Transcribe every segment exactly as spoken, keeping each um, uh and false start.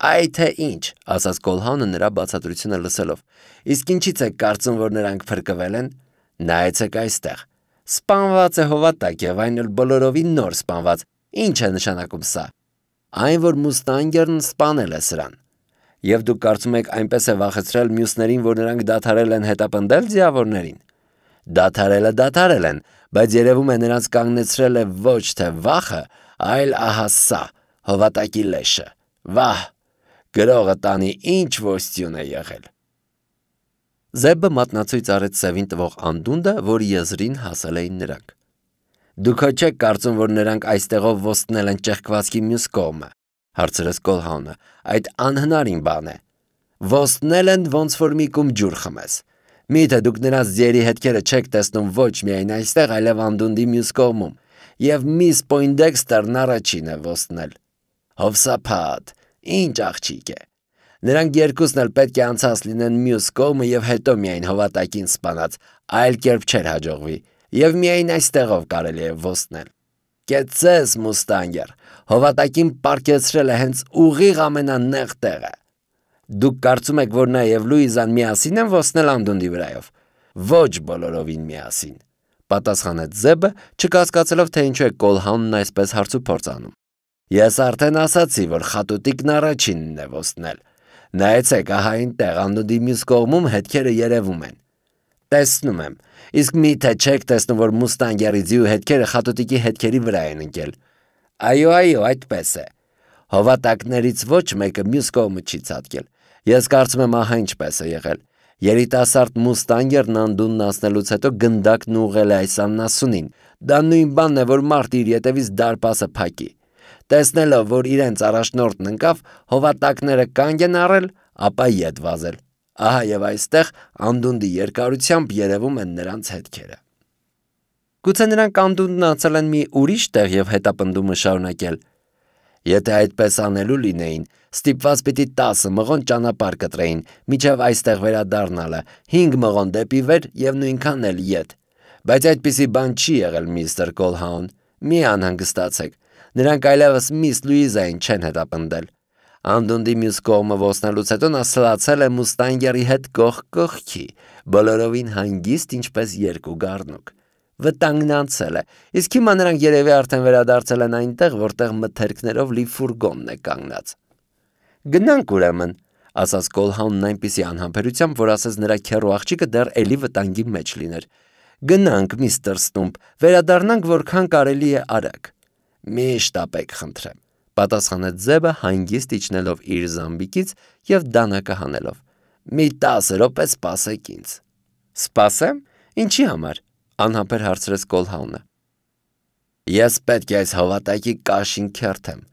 Այ թե ինչ, ասաց Կոլհաունը նրա բացատրությունը լսելով։ Իսկ ինչից եք կարծում, որ նրանք փրկվել են։ Նայեցեք այստեղ։ Սպանված է հովատակ եւ այն էլ բոլորովին նոր սպանված։ Ինչ է նշանակում սա։ Այն, որ Մուստանգերն սպանել է սրան։ Եվ դուք կարծում եք այնպես է վախեցրել մյուսներին, որ նրանք դադարել են հետապնդել ձիավորներին։ Դադարելը դադարել են, բայց երևում է նրանց կանգնեցրել է ոչ թե վախը, այլ ահա սա, հովատակի լեշը։ Վահ, գրողը տանի ինչ ոստյուն է եղել։ Զեբը մատնացույց արեց սևին տվող անդունդը, որի եզրին հասել էին նրանք։ Դուք հո չեք կարծում, որ նրանք այստեղով ոստնել են ճեղքվածքի մյուս կողմը, հարցրեց Կոլհաունը, այդ անհնարին բան է։ Ոստնել են ոնց որ մի կում ջուր խմես։ Միթե դուք նրանց ձիերի հետքերը չեք տեսնում ոչ միայն այստեղ, այլև անդունդի մյուս կողմում, եւ միս Պոյնդեքստերն առաջին է ոստնել։ Հովսափատ, ինչ աղջիկ է։ Նրանք երկուսն էլ պետք է անցած լինեն մյուս կողմը եւ հետո միայն հովատակին սպանած, այլ կերպ չէր հաջողվի, եւ միայն այստեղով կարելի է ոստնել։ Կեցես, Մուստանգեր, հովատակին պարկեցրել է հենց ուղիղ ամենանեղ տեղը։ Դուք կարծում եք, որ նա եւ Լուիզան միասին են ոստնել անդունդի վրայով։ Ոչ բոլորովին միասին, պատասխանեց Զեբը, չկասկածելով, թե ինչու է Կոլհաունն այսպես հարցուփորձ անում։ Ես արդեն ասացի, որ խատուտիկն առաջինն է ոստնել։ Նայեցեք, ահա այնտեղ անդունդի մյուս կողմում հետքերը երևում են։ Տեսնում եմ, իսկ միթե չեք տեսնում, որ Մուստանգերի ձիու հետքերը խատուտիկի հետքերի վրա են ընկել։ Այո, այո, այդպես է։ Հովատակներից ոչ մեկը մյուս կողմը չի ցատկել։ Ես կարծում եմ ահա ինչպես է եղել։ Երիտասարդ Մուստանգերն անդունդն անցնելուց հետո գնդակն ուղղել է այս աննասունին։ Դա նույն բանն է, որ մարդը իր ետևից դարպասը փակի։ Տեսնելով, որ իրենց առաջնորդն ընկավ, հովատակները կանգ են առել, ապա ետ վազել։ Ահա եւ այստեղ անդունդի երկարությամբ երևում են նրանց հետքերը։ Գուցե նրանք անդունդն անցել են մի ուրիշ տեղ եւ հետապնդումը շարունակել։ Եթե այդպես անելու լինեին, ստիպված պիտի տասը մղոն ճանապարհ կտրեին, միջև այստեղ վերադառնալը, հինգ մղոն դեպի վեր եւ նույնքան էլ ետ։ Բայց այդպիսի բան չի եղել, միստր Կոլհաուն։ Մի անհանգստացեք։ Նրանք այլևս միս Լուիզային չեն հետապնդել։ Անդունդի մյուս կողմը ոստնելուց հետո նա սլացել է Մուստանգերի հետ կողք կողքի, բոլորովին հանգիստ, ինչպես երկու գառնուկ։ Վտանգն անցել է, իսկ հիմա նրանք երևի արդեն վերադարձել են այնտեղ, որտեղ մթերքներով լի ֆուրգոնն է կանգնած։ Գնանք ուրեմն, ասաց Կոլհաունն այնպիսի անհամբերությամբ, որ ասես նրա քեռու աղջիկը դեռ էլի վտանգի մեջ լիներ։ Գնանք, միստր Ստումպ, վերադառնանք որքան կարելի է արագ։ Մի շտապեք, խնդրեմ, պատասխանեց Զեբը հանգիստ իջնելով իր զամբիկից եւ դանակը հանելով։ Մի տասը րոպե սպասեք ինձ։ Սպասեմ, ինչի համար, անհամբեր հարցրեց Կոլհաունը։ Ես պետք է այս հովատակի կաշին քերթեմ։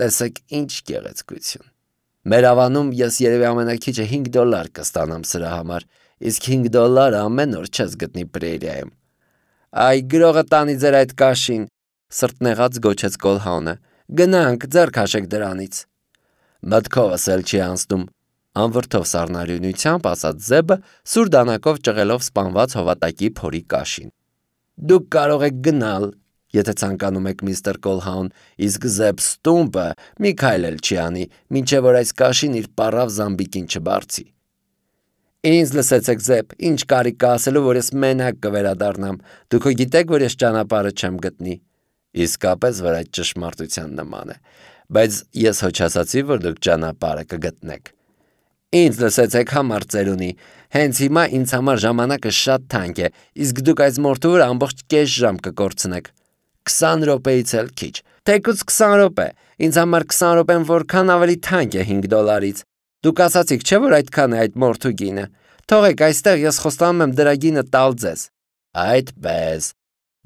Տեսեք ինչ գեղեցկություն։ Մեր ավանում ես երևի ամենակիչը հինգ դոլար կստանամ սրա համար, իսկ հինգ դոլարը ամեն օր չես գտնի Պրերիայում։ Այ գրողը տանի ձեր այդ կաշին, սրտնեղած գոչեց Կոլհաունը։ Գնանք, ձեռք հաշեք դրանից։ Մտքովս էլ չի անցնում, անվրդով սառնարյունությամբ ասաց Զեբը, սուր դանակով ճղելով սպանված հովատակի փորի կաշին։ Դուք կարող եք գնալ, եթե ցանկանում եք, միստր Կոլհաուն, իսկ Զեբ Ստումպը մի քայլ էլ չի անի, մինչև որ այս կաշին իր պառավ զամբիկին չբարձի։ Ինձ լսեցեք, Զեբ, ինչ կարիք կա ասելու, որ ես մենակ կվերադառնամ։ Դուք հո գիտեք, որ ես ճանապարհը չեմ գտնի։ Իսկապես որ այդ ճշմարտության նման է, բայց ես հո չասացի, որ դուք ճանապարհը կգտնեք։ Ինձ լսեցեք, համառ ծերունի, հենց հիմա ինձ համար ժամանակը շատ թանկ է, իսկ դուք այս մորթու վրա ամբողջ կես ժամ կկորցնեք։ Քսան րոպեից էլ քիչ, թեկուզ քսան րոպե, ինձ համար քսան րոպեն որքան ավելի թանկ է հինգ դոլարից։ Դուք ասացիք, չէ՞ որ այդքան է այդ մորթու գինը։ Թողեք այստեղ ես խոստանում եմ դրա գինը տալ ձեզ։ Այդպես,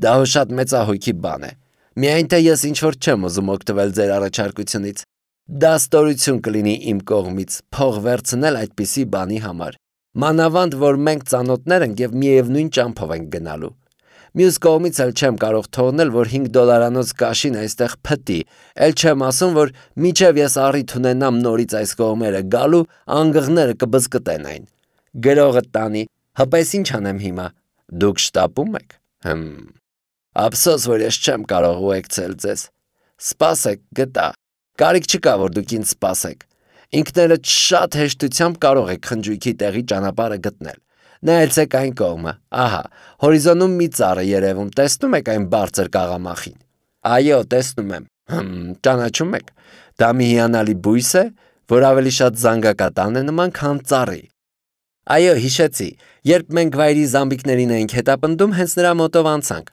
դա հո շատ մեծահոգի բան է։ Միայն թե ես ինչ որ չեմ ուզում օգտվել ձեր առաջարկությունից։ Դա ստորություն կլինի իմ կողմից փող վերցնել այդպիսի բանի համար։ Մանավանդ, որ մենք ծանոթներ ենք եւ միևնույն ճամփով ենք գնալու։ Մյուս կողմից էլ չեմ կարող թողնել, որ հինգ դոլարանոց կաշին այստեղ փտի, էլ չեմ ասում, որ միջև ես առիթ ունենամ նորից այս կողմերը գալու, անգղները կբզկտեն այն։ Գրողը տանի, հպես ինչ անեմ հիմա։ Դուք շտապում եք։ Հմ։ Ափսոս, որ ես չեմ կարող ուղեկցել ձեզ։ Սպասեք, գտա։ Կարիք չկա, որ դուք ինձ սպասեք։ Ինքներդ շատ հեշտությամբ կարող եք խնջույքի տեղի ճանապարհը գտնել։ Նայեցեք այն կողմը, ահա, հորիզոնում մի ծառ է երևում, տեսնում եք այն բարձր կաղամախին։ Այո, տեսնում եմ։ Հմ, ճանաչում եք։ Դա մի հիանալի բույս է, որ ավելի շատ զանգակատան է նման, քան ծառի։ Այո, հիշեցի, երբ մենք վայրի զամբիկներին էինք հետապնդում, հենց նրա մոտով անցանք։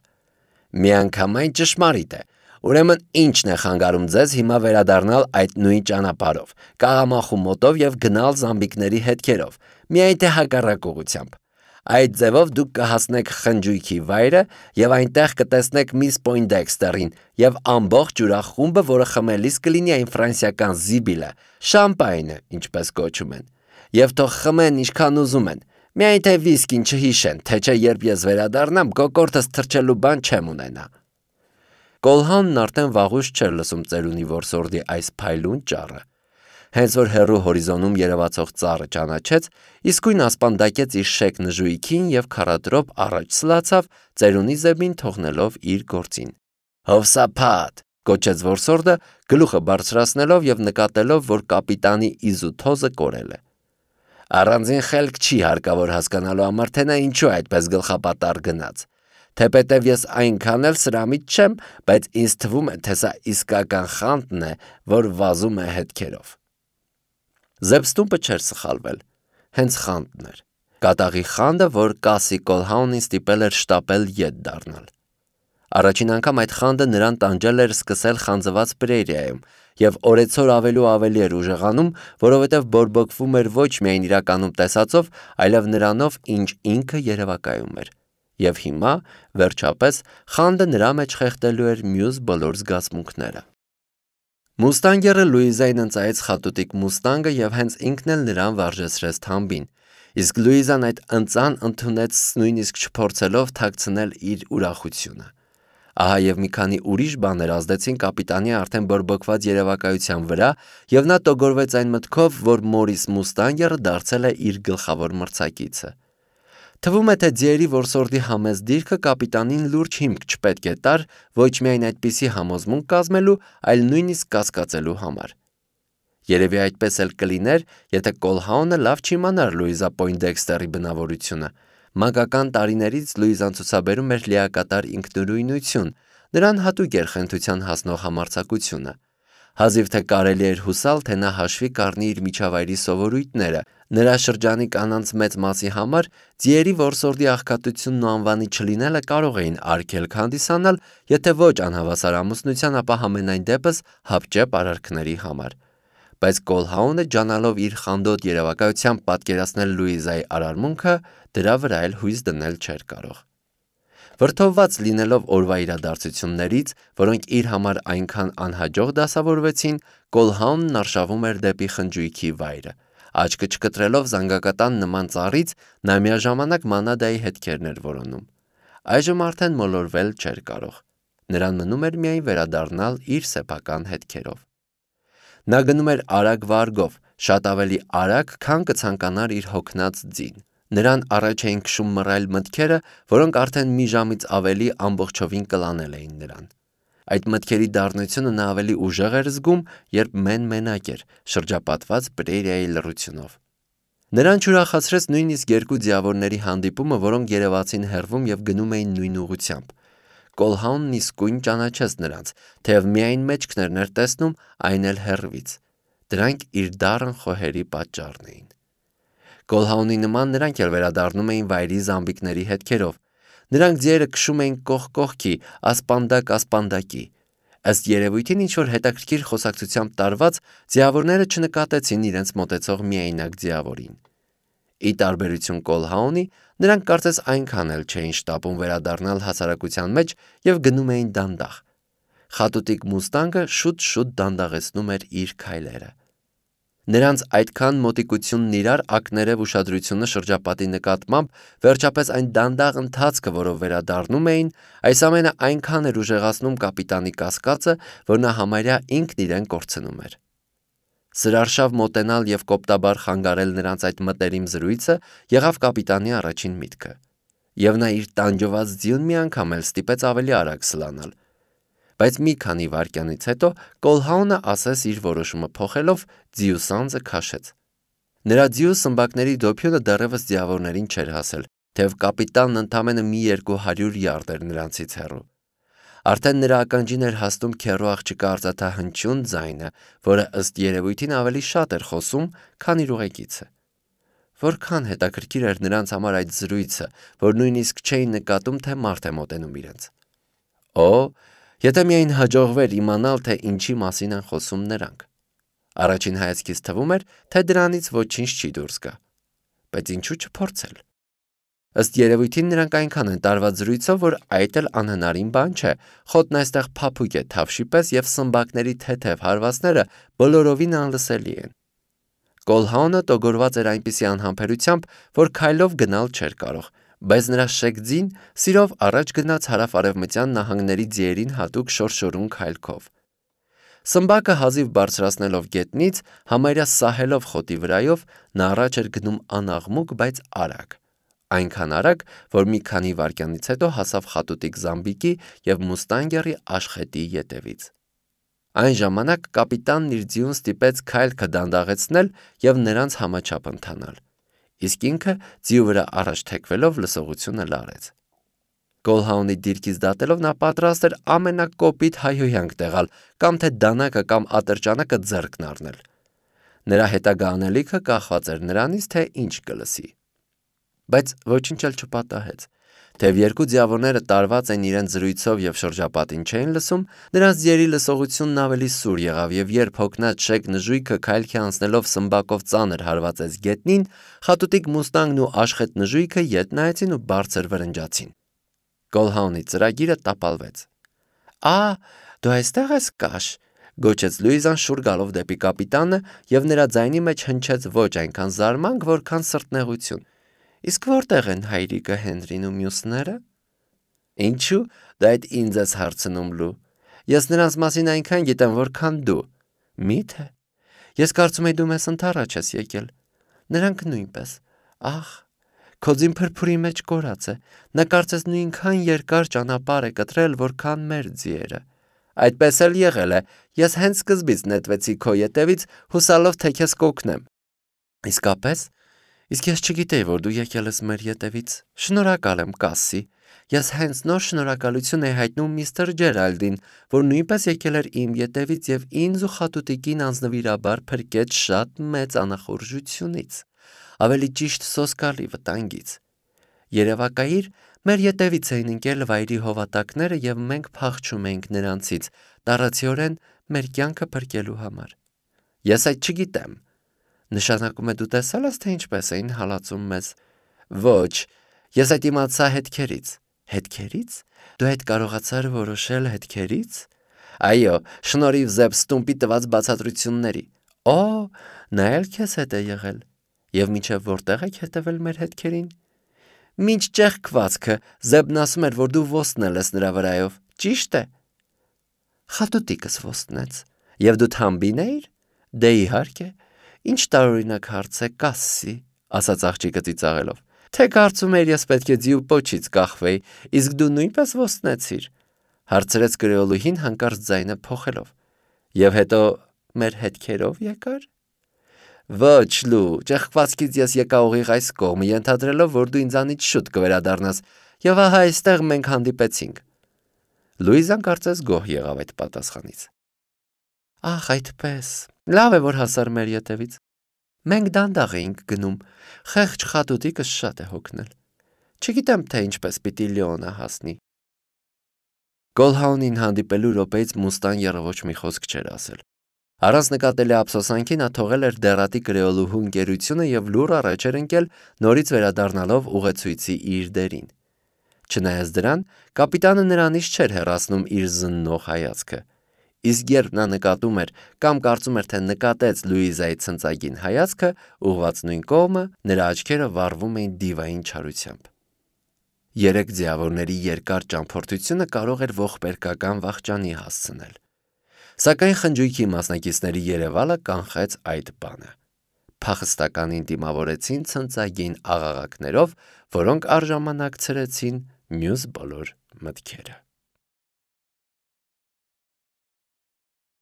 Միանգամայն ճշմարիտ է։ Ուրեմն ի՞նչն է խանգարում ձեզ հիմա վերադառնալ այդ նույն ճանապարհով, կաղամախու մոտով եւ գնալ զամբիկների հետքերով, միայն թե հակառակ ուղղությամբ։ Այդ ձևով դուք կհասնեք խնջույքի վայրը եւ այնտեղ կտեսնեք միս Պոյնդեքստերին եւ ամբողջ ուրախ-խումբը, որը խմելիս կլինի այն ֆրանսիական զիբիլը, շամպայնը, ինչպես կոչում են։ Եվ թող խմեն ինչքան ուզում են, միայն թե վիսկին չհիշեն, թե չէ երբ ես վերադառնամ, կոկորդս թրջելու բան չեմ ունենա։ Կոլհանն արդեն վաղուց չէր լսում ծերունի որսորդի այս փայլուն ճառը։ Հենց որ հեռու հորիզոնում երևացող ծառը ճանաչեց, իսկույն ասպանդակեց իր շեք նժույքին եւ քառատրոպ առաջ սլացավ, ծերունի զեբին թողնելով իր գործին։ Հովսափատ, կոչեց որսորդը, գլուխը բարձրացնելով եւ նկատելով, որ կապիտանի իզութոզը կորել է։ Առանձին խելք չի հարկավոր հասկանալու համար, թե նա ինչու այդպես գլխապատառ գնաց։ Թեպետև ես այնքան էլ սրամիտ չեմ, բայց ինձ թվում է, թե սա իսկական խանտն է, որ վազում է հետքերով։ Զեբստումպը չէր սխալվել, հենց խանտն էր։ Կատաղի խանդը, որ Կասի Կոլհաունին ստիպել էր շտապել ետ դառնալ։ Առաջին անգամ այդ խանդը նրան տանջել էր սկսել խանձված պրերիայում, եւ օրեցօր ավելի ու ավելի էր ուժեղանում, որովհետեւ բորբոքվում էր ոչ միայն իրականում տեսածով, այլև նրանով, ինչ ինքը երևակայում էր։ Եվ հիմա, վերջապես, խանդը նրա մեջ խեղդելու էր մյուս բոլոր զգացմունքները։ Մուստանգերը Լուիզային ընծայեց խատուտիկ մուստանգը եւ հենց ինքն էլ նրան վարժեցրեց թամբին, իսկ Լուիզան այդ ընծան ընդունեց նույնիսկ չփորձելով թաքցնել իր ուրախությունը։ Ահա եւ մի քանի ուրիշ բաներ ազդեցին կապիտանի արդեն բորբոքված երևակայության վրա, եւ նա տոգորվեց այն մտքով, որ Մորիս Մուստանգերը դարձել է իր գլխավոր մրցակիցը։ Թվում է, թե ձիերի որսորդի համեստ դիրքը կապիտանին լուրջ հիմք չպետք է տար ոչ միայն այդպիսի համոզմունք կազմելու, այլ նույնիսկ կասկածելու համար։ Երևի այդպես էլ կլիներ, եթե Կոլհաունը լավ չիմանար Լուիզա Պոյնդեքստերի բնավորությունը։ Մանկական տարիներից Լուիզան ցուցաբերում էր լիակատար ինքնուրույնություն, նրան հատուկ էր խենթության հասնող համարձակությունը։ Հազիվ թե կարելի էր հուսալ, թե նա հաշվի կառնի իր միջավայրի սովորույթները։ Նրա շրջանի կանանց մեծ մասի համար ձիերի որսորդի աղքատությունն ու անվանի չլինելը կարող էին արգելք հանդիսանալ, եթե ոչ անհավասար ամուսնության, ապա համենայն դեպս հապճեպ արարքների համար։ Բայց Կոլհաունը, ջանալով իր խանդոտ երևակայությամբ պատկերացնել Լուիզայի արարմունքը, դրա վրա էլ հույս դնել չէր կարող։ Վրդովված լինելով օրվա իրադարձություններից, որոնք իր համար այնքան անհաջող դասավորվեցին, Կոլհաունն արշավում էր դեպի խնջույքի վայրը։ Աչքը չկտրելով զանգակատան նման ծառից, նա միաժամանակ մանադայի հետքերն էր որոնում։ Այժմ արդեն մոլորվել չէր կարող։ Նրան մնում էր միայն վերադառնալ իր սեփական հետքերով։ Նա գնում էր արագ վարգով, շատ ավելի արագ, քան կցանկանար իր հոգնած ձին։ Նրան առաջ էին քշում մռայլ մտքերը, որոնք արդեն մի ժամից ավելի ամբողջովին կլանել էին նրան։ Այդ մտքերի դառնությունը նա ավելի ուժեղ էր զգում, երբ մեն-մենակ էր, շրջապատված պրերիայի լռությունով։ Նրան չուրախացրեց նույնիսկ երկու ձիավորների հանդիպումը, որոնք երևացին հեռվում եւ գնում էին նույն ուղղությամբ։ Կոլհաունն իսկույն ճանաչեց նրանց, թեև միայն մեջքներն էր տեսնում, այն էլ հեռվից։ Դրանք իր դառն խոհերի պատճառն էին։ Կոլհաունի նման նրանք էլ վերադառնում էին վայրի զամբիկների հետքերով։ Նրանք ձիերը քշում էին կողք կողքի, ասպանդակ ասպանդակի։ Ըստ երևույթին ինչ-որ հետաքրքիր խոսակցությամբ տարված, ձիավորները չնկատեցին իրենց մոտեցող միայնակ ձիավորին։ Ի տարբերություն Կոլհաունի, նրանք կարծես այնքան էլ չէին շտապում վերադառնալ հասարակության մեջ եւ գնում էին դանդաղ։ Խատուտիկ մուստանգը շուտ-շուտ դանդաղեցնում էր իր քայլերը։ Նրանց այդքան մոտիկությունն իրար ակներև ուշադրությունը շրջապատի նկատմամբ, վերջապես այն դանդաղ ընթացքը, որով վերադառնում էին, այս ամենը այնքան էր ուժեղացնում կապիտանի կասկածը, որ նա համարյա ինքն իրեն կորցնում էր։ Սրարշավ մոտենալ եւ կոպտաբար խանգարել նրանց այդ մտերիմ զրույցը եղավ կապիտանի առաջին միտքը։ Եվ նա իր տանջված ձիուն մի անգամ էլ ստիպեց ավելի արագ սլանալ։ բայց մի քանի վայրկյանից հետո Կոլհաունը ասես իր որոշումը փոխելով ձիու սանձը քաշեց։ Նրա ձիու սմբակների դոփյունը դեռևս ձիավորներին չէր հասել, թեև կապիտանն ընդամենը մի երկու հարյուր յարդ էր նրանցից հեռու։ Արդեն նրա ականջին էր հասնում քեռու աղջկա արծաթահնչյուն ձայնը, որը ըստ երևույթին ավելի շատ էր խոսում, քան իր ուղեկիցը։ Որքան հետաքրքիր էր նրանց համար այդ զրույցը, որ նույնիսկ չէին նկատում, թե մարդ է մոտենում իրենց։ Օ, եթե միայն հաջողվեր իմանալ, թե ինչի մասին են խոսում նրանք։ Առաջին հայացքից թվում էր, թե դրանից ոչինչ չի դուրս գա։ Բայց ինչու չփորձել։ Ըստ երևույթին նրանք այնքան են տարված զրույցով, որ այդ էլ անհնարին բան չէ, խոտն այստեղ փափուկ է թավշի պես և սմբակների թեթև հարվածները բոլորովին անլսելի են։ Կոլհաունը տոգորված էր այնպիսի անհամբերությամբ, որ քայլով գնալ չէր կարող, բայց նրա շեգձին սիրով առաջ գնաց հարավ-արևմտյան նահանգների ձիերին հատուկ շորշորուն քայլքով։ Սմբակը հազիվ բարձրացնելով գետնից, համարյա սահելով խոտի վրայով, նա առաջ էր գնում անաղմուկ, բայց արագ, այնքան արագ, որ մի քանի վայրկյանից հետո հասավ խատուտիկ Զամբիկի և Մուստանգերի աշխետի ետևից։ Այն ժամանակ կապիտանն իր ձիուն ստիպեց քայլքը դանդաղեցնել և նրանց համաչափ ընթանալ, իսկ ինքը ձիու վրա առաջ թեքվելով լսողությունը լարեց։ Կոլհաունի դիրքից դատելով նա պատրաստ էր ամենակոպիտ հայհոյանք տեղալ, կամ թե դանակը կամ ատրճանակը ձեռքն առնել։ Նրա հետագա անելիքը կախված էր նրանից, թե ինչ կլսի։ Բայց ոչինչ էլ չպատահեց։ Թեև երկու ձիավորները տարված են իրենց զրույցով և շրջապատին չէին լսում, նրանց ձիերի լսողությունն ավելի սուր եղավ, և երբ հոգնած շեկ նժույգը քայլքի անցնելով սմբակով ծանր հարվածեց գետնին, խատուտիկ Մուստանգն ու աշխետ նժույգը ետ նայեցին ու բարձր վրնջացին։ Կոլհաունի ծրագիրը տապալվեց։ «Ա, դու այստեղ ես կաշ», գոչեց Լուիզան շուռ գալով դեպի կապիտանը, և նրա ձայնի մեջ հնչեց ոչ այնքան զարմանք, որքան սրտնեղություն։ «Իսկ որտեղ են հայրիկը Հենրին ու մյուսները»։ «Ինչու՞ դու այդ ինձ ես հարցնում, Լու։ Ես նրանց մասին այնքան գիտեմ, որքան դու»։ «Մի՞թե։ Ես կարծում էի դու մեզ ընդառաջ ես եկել։ Նրանք նույնպես։ Ահ, քո ձին փրփուրի մեջ կորած է։ Նա կարծես նույնքան երկար ճանապարհ է կտրել, որքան մեր ձիերը»։ «Այդպես էլ եղել է։ Ես հենց սկզբից նետվեցի քո ետևից, հուսալով, թե քեզ կօգնեմ»։ «Իսկապես։ Իսկ ես չգիտեի, որ դու եկել ես մեր ետևից։ Շնորհակալ եմ, Կասսի։ Ես հենց նոր շնորհակալություն էի հայտնում միստր Ջերալդին, որ նույնպես եկել էր իմ ետևից և ինձ ու խատուտիկին անձնվիրաբար փրկեց շատ մեծ անախորժությունից, ավելի ճիշտ սոսկալի վտանգից։ Երևակայիր, մեր ետևից էին ընկել վայրի հովատակները, և մենք փախչում էինք նրանցից, տառացիորեն մեր կյանքը փրկելու համար։ Ես այդ չգիտեմ։ Նշանակում է դու տեսա՞լ ես, թե ինչպես էին հալածում մեզ։ Ոչ, ես այդ իմացա հետքերից։ Հետքերից։ Դու այդ կարողացար որոշել հետքերից։ Այո, շնորհիվ Զեբ Ստումպի տված բացատրությունների։ Օ, նա էլ քեզ հետ է եղել։ Եվ մինչև որտեղ եք հետևել մեր հետքերին։ Մինչ ճեղքվածքը Զեբն ասում էր, որ դու ոստնել ես նրա վրայով, ճիշտ է։ Խատուտիկս ոստնեց։ Եվ դու թամբին էիր։ Դե իհարկե։ Ինչ տարօրինակ հարց է, Կասսի, ասաց աղջիկը ծիծաղելով։ Թե կարծում էիր ես պետք է ձիու պոչից կախվեի, իսկ դու նույնպես ոստնեցիր, հարցրեց կրեոլուհին հանկարծ ձայնը փոխելով։ Եվ հետո մեր հետքերով եկար։ Ոչ, Լու, ճեղքվածքից ես եկա ուղիղ այս կողմը, ենթադրելով, որ դու ինձանից շուտ կվերադառնաս, և ահա այստեղ մենք հանդիպեցինք։ Լուիզան կարծես գոհ եղավ այդ պատասխանից։ Ահ, այդպես։ Լավ է, որ հասար մեր ետևից։ Մենք դանդաղ էինք գնում, խեղճ խատուտիկս շատ է հոգնել։ Չգիտեմ, թե ինչպես պիտի Լեոնա հասնի։ Կոլհաունին հանդիպելու րոպեից Մուստանգերը ոչ մի խոսք չէր ասել։ Առանց նկատելի ափսոսանքի նա թողել էր դեղատի կրեոլուհու ընկերությունը և լուռ առաջ էր ընկել, նորից վերադառնալով ուղեցույցի իր դերին։ Չնայած դրան, կապիտանը նրանից չէր հեռացնում իր զննող հայացքը։ Իսկ երբ նա նկատում էր կամ կարծում էր, թե նկատեց Լուիզայի ցնծագին հայացքը, ուղղված նույն կողմը, նրա աչքերը վառվում էին դիվային չարությամբ։ Երեք ձիավորների երկար ճամփորդությունը կարող էր ողբերգական վախճանի հասցնել։ Սակայն խնջույքի մասնակիցների երևալը կանխեց այդ բանը։ Փախստականին դիմավորեցին ցնծագին աղաղակներով, որոնք առժամանակցրեցին մյուս բոլոր մտքերը։